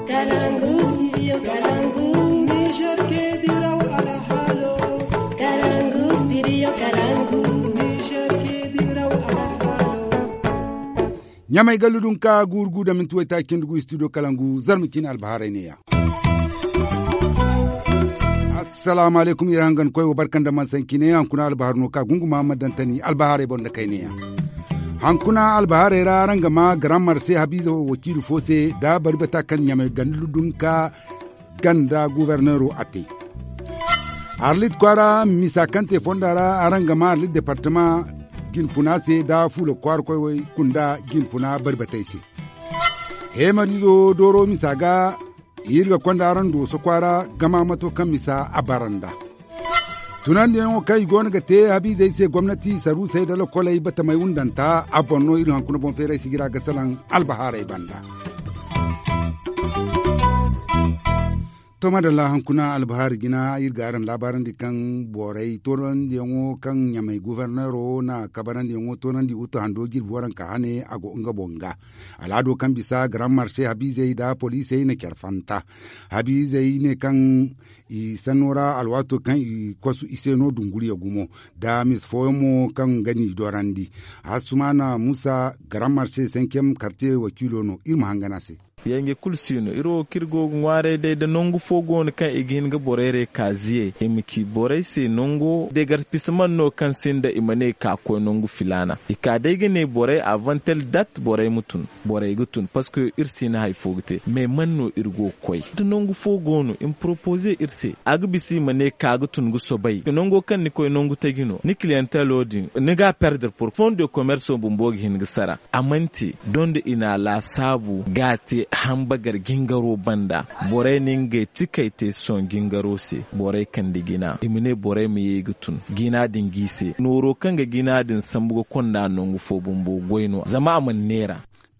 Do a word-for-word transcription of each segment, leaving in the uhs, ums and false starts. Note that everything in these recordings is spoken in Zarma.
Kalangu, studio Kalangu. Niger ke diraw alhalo. Kalangu, studio Kalangu. Niger ke diraw alhalo. Ɲamay gallu dun ka guuru gu da minti waytaaci cindi gu studio Kalangu, zarma ciine albahaarey neeya. Assalaamu alaykum, iri hangan koy wo barka nda mansanci ne. Hankuna albahaar no ka gunguma ma dantani albahaarey boŋ nda kayneyaŋ. Hankuna albahaarey ra araŋ ga ma garamar se habiize wakiilu fo se da bari bata kaŋ ɲamay ganda ludun ka ganda guberneero a te. Arlit kwaara misa kaŋ te fonda ra araŋ ga ma arlit departama jinfuna se da fuula kwaara koy way kunda jinfuna bari batey se. Heemariizo dooro misa ga iri ga konda araŋ dooso kwaara gama mato kaŋ misa a bara nda tunandiyaŋo kaŋ i go no ga te habiizey se gomnati saruusey da lokoley batamey wundanta a boŋ no iri hankuna boŋ feeray sijira ga salaŋ albahaarey banda. To madalla, hankuna albahaari jina iri ga araŋ laabaarandi kaŋ borey toonandiyaŋo kaŋ ɲamay guberneero na kabarandiyaŋo toonandi utu hando jirbi waranka hane a go nga boŋ ga. Alaado kaŋ bisa garan marse habiizey nda poliisey na care fanta. Habiizey ne kaŋ i sanno ra alwaato kaŋ i kosu i se no dunguriya gumo nda mis fooyaŋ mo kaŋ ga n'i dorandi. Hasumana musa garan marse senkem karte wakiilo no iri ma hangan a se. Yanje kulu si no iri wo kaŋ iri go ga ŋwaaray day da nangu fo go no kaŋ i ga hin ga borey re ka ziyey i ma ci borey se nango degarpisaman no kaŋ sinda i ma ne ka koy nangu filaana i ka day ga ne borey avantel dat borey ma tun. Borey ga tun parceque iri si na hari fo ga te mais man no iri go ga koy da nangu fo go no i ma poropoze iri se a ga bisa i ma ne ka ga tun ga sobay nango kaŋ ni koy nangu taji no ni kiliyantelo din ni ga a perdre poro fond de commerce bumbo ga hin ga sara. A mana te doŋ da i na a laasaabu ga a te hambagar jingaro banda. Borey na ngey tikey te sohõ jingaro se borey kande jina i ma ne borey ma ye ga tun jina din g'i se nooro kaŋ ga jina din sambu ga konda nangu fo bumbo goy no zama a mana neera.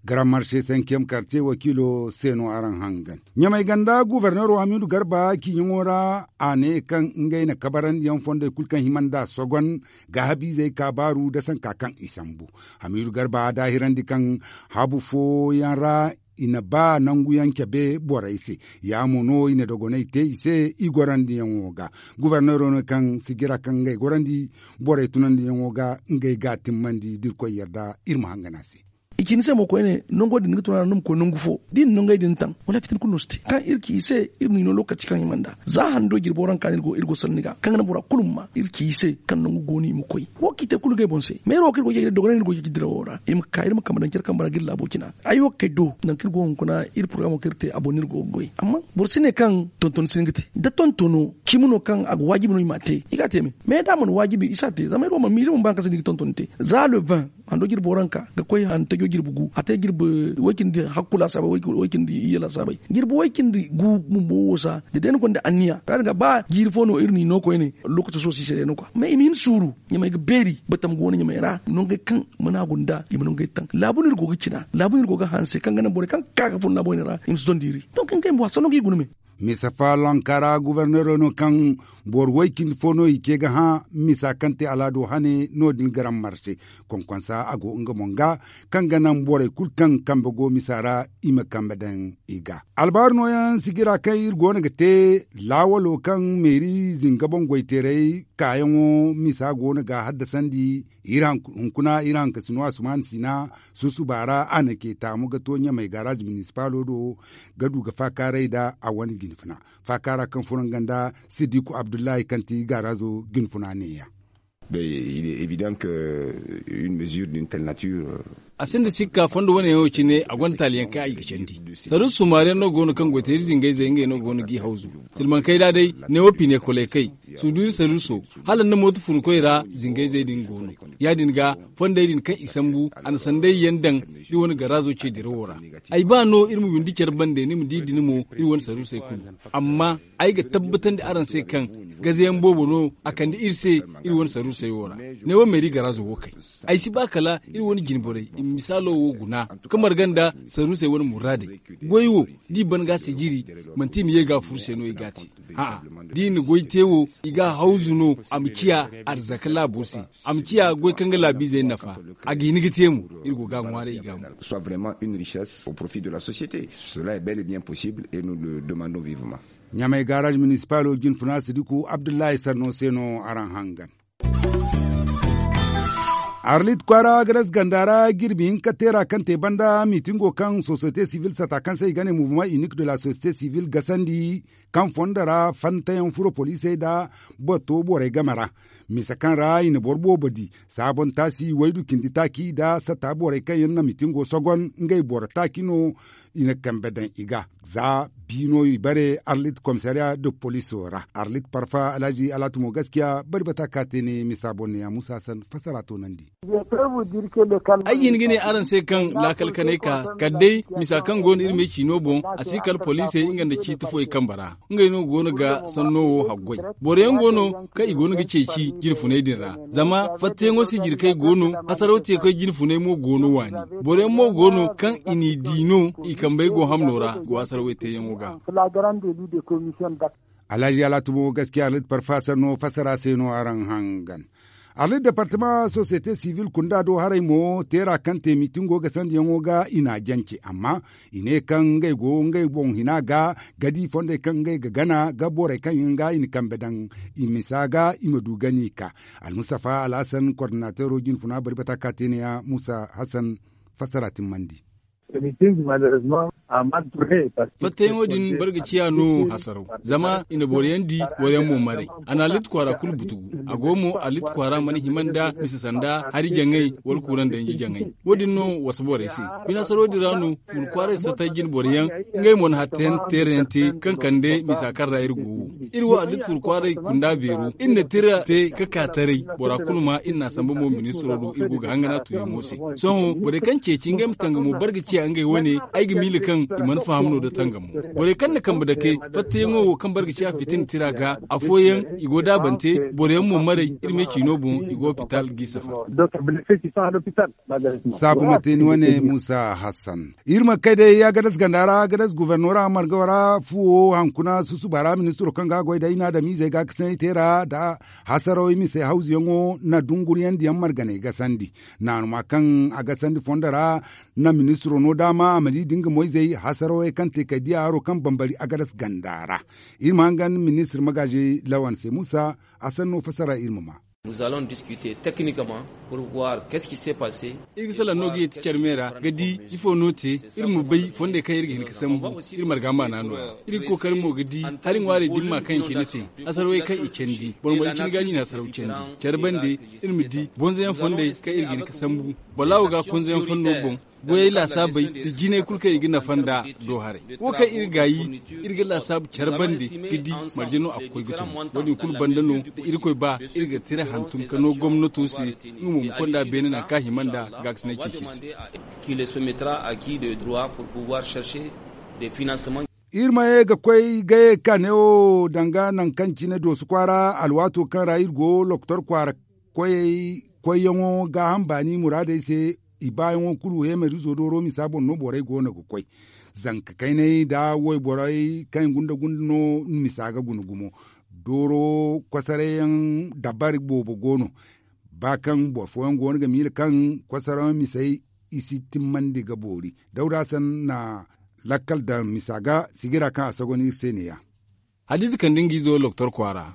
Garan marse sankiyam karte wakiilo se no araŋ hangan ɲamay ganda guberneero hamiidu garba ciiɲaŋo ra a ne kaŋ ngey na kabarandiyaŋ fondey kulu kaŋ hima nd'a sogon ga habiizey ka baaru da sanka kaŋ i sambu. Hamiidu garba daahirandi kaŋ habu fooyaŋ ra i na ba nanguyaŋ cabe borey se. Ya mo no i na dogonay te i se i gorandiyaŋo ga. Guberneero no kaŋ sijira kaŋ ngey gorandi borey tunandiyaŋo ga ngey ga timmandi da irkoy yarda iri ma hangan a se. I ci ni se mo koyne nango din ga tun a ra ni ma koy nangu fo da i na nangey din taŋ wala fitina kulu no si te kaŋ iri ci i se. Iri n'i no lokaci kaŋ i mana da za hando jirbo ra nga ka no iri go sanni ga kaŋ ga naŋ bora kulu ma ma iri ci i se kaŋ nangu go no i ma koy. Wo kaŋ i te kulu ga ay boŋ se meero wo kaŋ iri go ga jay da dogonay no iri go ga jay da dirawo ra i ma ka iri ma kambe daŋ care kambe ra ga iri laabo cina. Ay wo ga kay do nangu kaŋ iri go hunkuna iri porogamo kaŋ iri te a boŋ no iri go ga goy amma boro si ne kaŋ tonton si hin ga te da tontono cimi no kaŋ a ga waajibi no i m'a te i ga a te me. Mais da a mana waajibi i si a te zama iri wo mana miila mana ba hari kaŋ se no i ga tonton te za le vingt hando jirbi waranka ga koy hantajo jirbi gu a te jirbi way-cindi hakku laasaabay way-cindi iyye laasaabay jirbi way-cindi gu bumbo wo sa da day ni gonda anniya ra din ga ba jiiri fo no iri n'i no koyne lokaci sohõ si se day no kwa mais i ma hin suuru ɲamay ga beeri batam go no ɲamay ra nongey kaŋ mana gunda i ma nongey taŋ laabu no iri go ga cina laabu no iri go ga hanse kaŋ ga naŋ borey kaŋ ga ka ga fun laabu wane ra i ma si zonda iri donc ngey mo a sanno ga i guna me. Misa faalaŋ kaara guberneero no kaŋ boro way-cindi fo no i ce ga hã misa kaŋ te alaado hane no- din garam marse konkonsa a go nga boŋ ga kaŋ ga naŋ borey kulu kaŋ kambe go misa ra i ma kambe daŋ i ga. Albaaru nooyaŋ sijira kaŋ iri go no ga te laawalo kaŋ meeri zinga boŋ goyteeray kaayaŋo misa go no ga haddasandi iri hunkuna iri hankasino asuman sina susuba ra a na ce taamu ga to ɲamay gaaraaz minisipalo do ga du ga faakaaray nda a wane jinfuna faakaara kaŋ furanga nda sidiku abdullahi kaŋ ti gaaraazo jinfuna neeya. Bay il est évident que une mesure d'une telle nature. A sinda sikka fondo wane yaŋo cine a gonda taaliyaŋ kaŋ a ga candi saruusu sumaariyaŋ no go no kaŋ goyteeri zingayzey ngey no go no g'i hawzu silmankey da day neewo pinekoley kay suduuri saruuso hala nda mooto furkoy ra zingayzey din go no. Ya- din ga fondey din kaŋ i sambu a na sanday yaŋ daŋ iri wane garaazo ce dirawo ra. Ay ba no iri ma windi care bande ni ma di din mo iri wane saruusey kulu. Amma ay ga tabbatandi araŋ se kaŋ gazayaŋ boobo no a kande iri se iri wane saruusey wo ra. Neewo meeri garaazo wo kay ay si ba kala iri wane jinborey i ma misaalo wo guna ka marga nda saruusey wane muraadey. Goy wo da i ban ga a sijiri manti i ma ye ga a furu se no i ga a te. A'a da i na goy te wo I ga hawzu no a ma ciya arzaka laabo se. A ma ciya goy kaŋ ga laabiizey nafa. A ga hin ga te mo. Iri go ga a ŋwaaray i ga mo. Soit vraiment une richesse au profit de la société. Cela est bel et bien possible et nous le demandons vivement. Ɲamay garage municipal o jinfuna sidiku abdullahi sanno se no araŋ hangan. Arlit kwaara garas ganda ra jirbi hinka teera kaŋ te banda miitingo kaŋ sosiyete sivil sata kaŋ se i ga ne mouvement unique de la société sivil gasandi kaŋ fondo ra fantayaŋ furo poliisey nda bato borey game ra. Misa kaŋ ra i na boro boobo di saabon taasi waydu cindi taaci nda sata borey kaŋ yaŋ na miitingo sogon ngey boro taaci no. I na kambe daŋ i ga za bi no i bare arlit komisariya de poliso ra arlit parfa alhaji alatu mo gaskiya bari bata ka te ne misa boŋ ne ya musa san fassara toonandi. Ay ga hin ga ne araŋ se kaŋ laakal kanay ka kala day misa kaŋ go no iri me ciino boŋ a si kala poliisey nga nda ciiti fo i kambe ra. Ngey no go no ga sanno wo haggoy. Boro yaŋ go no kaŋ i go no ga ceeci jinfunay din ra zama fattayaŋo se jirkey go no. Hasaraw teekey jinfunay mo go no waani. Boro yaŋ mo go no kaŋ i n'i di no i kambey go hamno ra go hasaraw teeyaŋo ga. Alhaji alatu mo gaskiya arlit parfa sanno fassara se no araŋ hangan. Arlit departama sosiyete sivil kunda do haray mo teera kaŋ te miitingo ga sandiyaŋo ga i n'a jance amma i ne kaŋ ngey go ngey boŋ hina ga ga di fondey kaŋ ngey ga gana ga borey kaŋ yaŋ ga i na kambe daŋ i misa ga i ma du gani ka. Almustafa alhasan kordinateero jinfuna bari bata ka te ne ya musa hasan fassara timmandi. Fattayaŋo din boro ga ciya no hasaraw zama i na boro yaŋ di boro yaŋ mo maray. A na alit kwaara kulu butugu a go mo alit kwaara mana hima nda misa sanda hari jaŋay wala kuuraŋ danji jaŋay. Wo- din no wasa borey se. Bine hasaro din ra no furu kwaaray satay jine boro yaŋ ngey mo na hatta yaŋ teera yaŋ te kaŋ kande misa kaŋ ra iri go wo. Iri wo alit furu kwaaray kunda beero iri na tira te ka ka taray bora kulu ma iri n'a samba mo ministiro do iri go ga hangana tuuyaŋo se. Sohõ borey kaŋ ceeci ngey ma tangamo barga ciya ngey wane ay ga miila kaŋ i mana faham no da tangamo. Borey kaŋ na kambe dake fattayaŋo wo kaŋ barga ciya fitina tira ga afooyaŋ i go daabante boro yaŋ mo maray iri me ciino boŋ i go hopital g'i safar. Saabu ma te ni wane musa hassan. Iri ma kay day agadas ganda ra agadas guvernora marga ra fuwo hankuna susuba ra ministiro kaŋ ga goy day na adamiizey ga kasanay teera nda hasarawey mise hawzuyaŋo na dunguriyaŋ diyaŋ marganey gasandi. Naanuma kaŋ a gasandi fondo ra na ministiro no daama a ma di da nga moyzey hasarawey kaŋ te kay diya haro kaŋ bambari agadas ganda ra. Iri ma hangan ministir magaazi lawan se musa a sanno fassara iri ma ma. Iri ga salaŋ no ga yeeti care me ra ga di ifo no te. Iri ma bay fondey kaŋ iri ga hin ga sambu iri marga maana no- ya. Iri ga kookari mo ga di hari ŋwaarey dimma kaŋ i cine te. Hasarwey kaŋ i candi boro ma bay cine ga ɲina hasaraw candi care bande. Iri ma di bonzoyaŋ fondey kaŋ iri ga hin ga sambu boro laawo ga konzoyaŋ fondo boŋ. Goyey laasaabey da jinay kulu kaŋ i ga nafa nda do haray wo kaŋ iri gaayi iri ga laasaabu care bande ga di marje no a ga koy ga tun. Wo- din kulu banda no da irkoy ba iri ga tira hantum ka no gomnato se nga mo ma konda beene nangu kaŋ a hima nda gaakasinay ceeci se. Iri ma ye ga koy gaye ka ne wo danga nangu kaŋ cine doosu kwaara alwaato kaŋ ra iri go lokotor kwaara koyey koyyaŋo gaaham baani muraadey se. I baayaŋo kulu heemarizo dooro misa boŋ no borey go no ga koy. Zanka kayney nda wayborey kaŋ i gunda gunda no misa ga guna gumo. Dooro kosoreyaŋ dabari boobo go no. Ba kaŋ boro fooyaŋ go no ga miila kaŋ kosoreyaŋ misey i si timmandi ga boori. Dawda san na lakkal daŋ misa ga sigira kaŋ a sagon iri se ne- ya. Hadiza kande nga izo lokotor kwaara.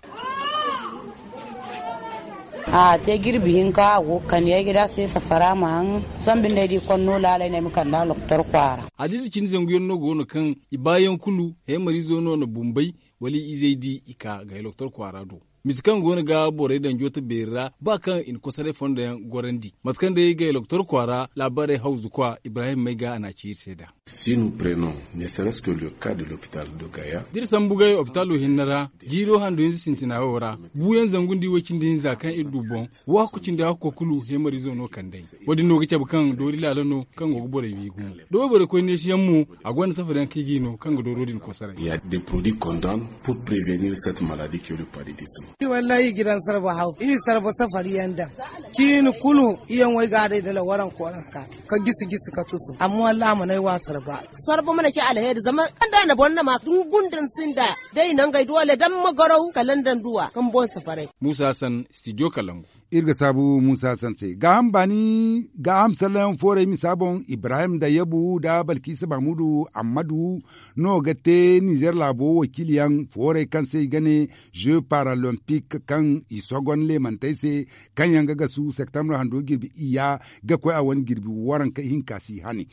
A te jirbi hinka a go ga kande ay ga da se safara ma haŋ. Sohõ binde ay di konno laalay no ay ma kande a lokotor kwaara. Hadiza cindi zangu yaŋ no go no kaŋ i baayaŋ kulu heemarizo no na bumbay wala i izey di i ka ga ay lokotor kwaara do. Mise kaŋ go no ga borey daŋ jooto beeri ra ba kaŋ i na kosoray fondo yaŋ gorandi mate kaŋ day ga ay lokotor kwaara laabaarey hawzu kwa ibrahim may ga a na a ci iri se nd'a. Si nous prenons ne serait ce que le cas de l'hôpital de gaya. Da iri sambu gaya opitaalo hinne ra jiiro handu hinza sintina wo ra buuyaŋ zangu nda iway cindi hinza kaŋ iri du boŋ. Wo hakku cindi hakko kulu heemarizo no kand'ey. Wo- din no ga cabe kaŋ doori laala no kaŋ go ga borey wi gumo da wayborey koy neesiyaŋ mo. A gonda safariyaŋ kaŋ i g'i no kaŋ ga dooro din kosoray. Il y a des produits qu'on donne pour prévenir cette maladie qui est le paludisme. Wallaahi i ga daŋ sarba haw i sarba safari yaŋ daŋ ciini kulu i yaŋ wo ay ga a day dala waranka waranka ka gisi gisi ka tusu amma wallaahi a mana ay wa sarba. Sarba mana ci alheri zama da na boro na ma dungun din sinda day nangey doole daŋ ma garaw kala nda nduwa kaŋ boŋ safaray. Muusa hassan studio kalangu. Iri ga saabu muusa hassan se gaaham baani gaaham sallayaŋ fooray misa boŋ ibrahim da yabu nda balkiisa mahmudu ammadu no ga te nizer laabo wakiili yaŋ fooray kaŋ se i ga ne jeux paralympique kaŋ i sogon leemantey se kaŋ yaŋ ga gasu septembre hando jirbi iyya ga koy a wane jirbi waranka hinka si hane.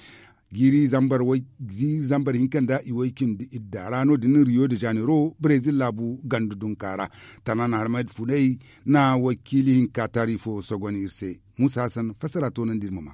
Jiiri zambar hinka nda i way cindi idda ra no- din rio de janeiro brezil laabu gandu dunka ra. Tanan harmad funay na wakiili hinka taari fo sogon iri se. Muusa hassan fassara toonandi iri ma ma.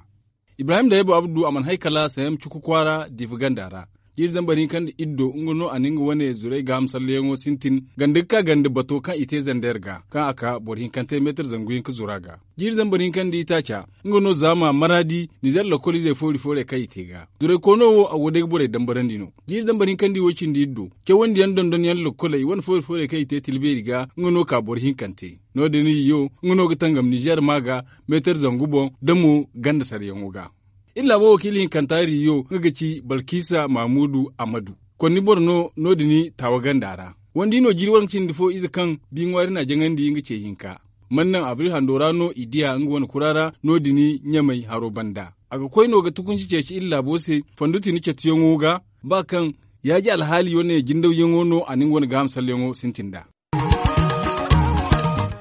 Ibrahim da yabo abdu a mana hay kala sayam cuku kwaara diifa ganda ra. Jiiri zambar hinka nda iddo nga no a na nga wane zuray gaaham salleyaŋo sintin ganda ga ka ganda bato kaŋ i te zander ga kaŋ a ka boro hinkante meetar zangu hinka zura ga. Jiiri zambar hinka nda itaaca nga no zaama maraadi nizer lokol izey foori fooray kaŋ i te ga. Zuray koono wo a go day ga borey dambarandi no. Jiiri zambar hinka nda iwo cindi iddo cawandi yaŋ dondon yaŋ lokoley wane foori fooray kaŋ i te tilbeeri ga nga no ka boro hinkante. No- din iyo nga no ga tangam nizer ma ga meetar zangu boŋ da mo ganda saryaŋo ga. Iri laabo wakiili hinkanta riyo nga ga ci balkiisa mahamudu ammadu. Konni boro no no- din taawa ganda ra. Wandi no jiiri waranka cindi fo ize kaŋ bi ŋwaari na jaŋandi nga ce hinka. Man naŋ abril hando ra no i diya nga wane kura ra no- din ɲamay haro banda. A ga koy no ga tukunci ceeci iri laabo se fondo tini catuyaŋo ga ba kaŋ yaaji alhaali wane jindawyaŋo no a na nga wane gaaham salleyaŋo sintin nd'a.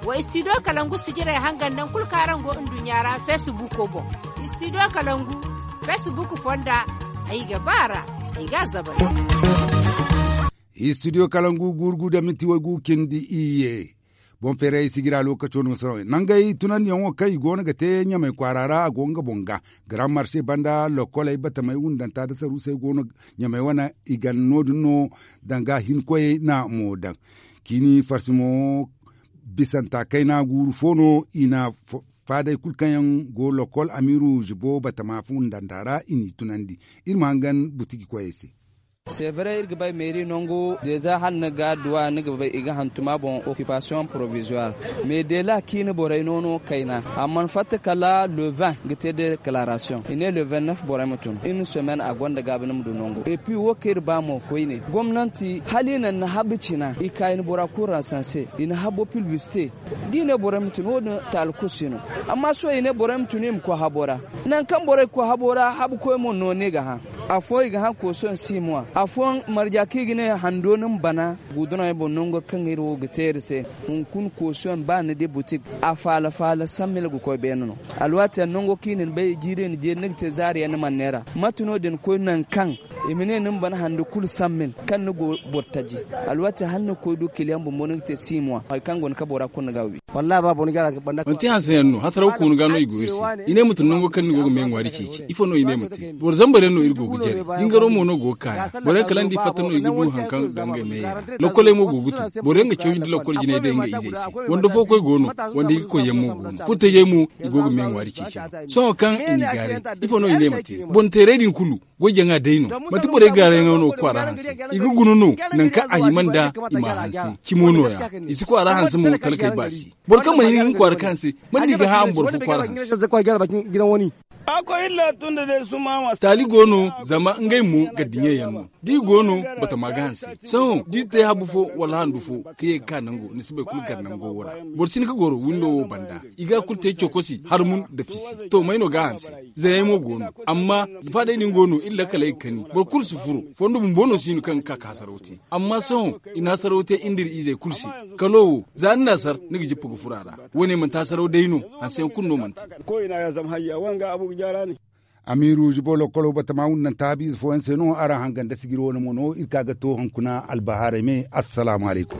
Wa istidiyo kalangu sijirey hangan naŋ kulu kaŋ araŋ go nduɲɲa ra feesibuuko boŋ. Istidiyo kalangu feesibuuk fonda ay ga ba a ra. Ay ga a zabay. Istidiyo kalangu guuru gu nda minti waygu cindi iyye. Boŋ feeray sijira lookaco no sohõ nangey tunandiyaŋo kaŋ i go no ga te ɲamay kwaara ra a go nga boŋ ga. Garaŋ marse banda lokoley batamey wundanta nda saruusey go no ɲamey wane i ga no- din no danga hinkoyey na mo daŋ. Ciini farsi mo bisanta kayna guuru fo no i na faaday kulu kaŋ yaŋ go lokol amiiru zibo batama fundanta ra i n'i tunandi. Iri ma hangan butiki koyey se. Sevre iri ga bay meeri nangu deeza hala ni ga adduwa ni ga bay i ga hantum a boŋ okipasiyoŋ porovizuwar. Mais dela ciini borey no no kayna a mana fatta kala le vingt ga te deklarasion i ne le vingt neuf borey ma tun. Iri na somen a gonda gaabi ni ma du nangu epi wo kaŋ iri ba mo koyne gomnanti hala i naŋ ni habu cina i ka i na bora kulu ransanse i na habo pilbiste. Da i ne borey ma tun wo- din taali kulu si no. Amma sohõ i ne borey ma tun i ma koy habo ra. Nangu kaŋ borey ga koy habo ra habukoy mo nooni ga hã. Afooyaŋ i ga hã koosoyaŋ si mo a afooyaŋ marja kaŋ i ga ne hando ni ma bana. Gudunaŋey boŋ nango kaŋ iri wo ga te iri se. Hunkuna koosoyaŋ ba ni di butik a faala faala sammila ga koy beene no. Alwaati yaŋ nango kaŋ i na ni bay jiiri ni jeeri ni ga te zaari yaŋ ni mana neera mate no- din koy nangu kaŋ i ma ne ni ma bana hando kulu sammil kaŋ ni go boro taji. Alwaati hala ni ga koy du kiliyaŋ bumbo ni ga te si mo a hari kaŋ go ni ka bora kulu ni ga a wi. Manti hanse yaŋ no hasaraw koonu ga no i go iri se. I ne ma tun nango kaŋ ni go ga me ŋwaari ceeci ifo no i ne ma te boro zambar yaŋ no iri go ga jare. Jingaro mo no go ga kaani boro yaŋ kala nda i fatta no i ga du hari kaŋ ga ngey me yaŋ ra. Lokkoley mo go ga tun boro yaŋ ga cawandi lokkol jinay day nga izey se. Wanda fookoy go no wanda i ga koy yaŋ mo go no furtajey mo i go ga me ŋwaari ceeci no. Sohõ kaŋ i n'i gaaray ifo no i ne ma te? Boŋ teeray din kulu goy jaŋa day no. Manti borey gaarayaŋo no ga kwaara hanse. I ga guna no nangu kaŋ a hima nda i m'a hanse. Cimo nooya i si kwaara hanse mo talkey baasi. Boro kaŋ mana hin ga kwaara kaŋ hanse mate no i ga hã a ma boro fo kwaara hanse? Taali go no zama ngey mo gardiɲeyaŋ no. Da i go no batama ga hanse. Sohõ da i te habu fo wala handu fo ka ye ga ka nango ni si bay kulu gar nango wo ra. Boro si hin ga goro windo wo banda. I ga a kulu te cokosi harmun nda fisi to may no ga a hanse? Zayey mo go no. Amma faadey din go no iri lakkaley ga kani boro kulu si furo. Fondo bumbo no si no kaŋ ga ka ka hasaraw te. Amma sohõ i na hasaraw te iri nda iri izey kulu se. Kalo wo za ni na sar ni ga jippa ga furo a ra. Wo- ne manti hasaraw day no. Hanseyaŋ kulu no manti. Amiiru zibo lokolo batama wundanta habiize fooyaŋ se no araŋ hangan da sijiri wane mo no iri ka ga to hunkuna albahaarey me. Assalaamu alaykum.